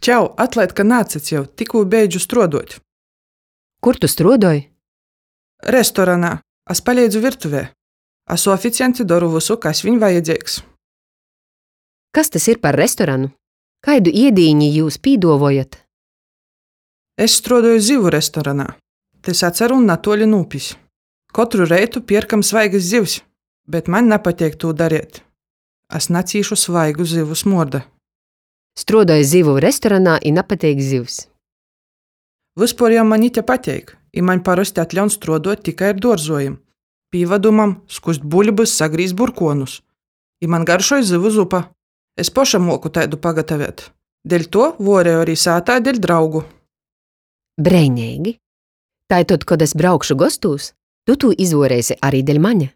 Čau, atlaid, ka naatsaceju, tikkū beidžu struoduot. Kur tu struodoj? Restoranā. Es paleidzu virtuvē. Asu oficiants i doru vysu, kas viņ vajadzeigs. Kas tys ir par restoranu? Kaidu iedīņi jius pīduovojat? Es struodoju zivu restoranā. Tys atsarūn natuoli nu upis. Kotru reitu pierkam svaigys zivs, bet maņ napateik tū dareit. Es nacīšu svaigu zivu smuorda. Struodoj zivu restoranā i napateik zivs. Vyspuor jau maņ ite pateik, i maņ parosti atļaun struoduot tikai ar duorzuojim. Pīvadumam, skust buļbys, sagrīzt burkuonus. I maņ garšoj zyvu zupa. Es poša muoku taidu pagatavēt. Deļtuo vuoreju ari sātā deļ draugu. Breineigi! Taitod, kod es braukšu gostūs, tu tū izvuoreisi ari deļ mane.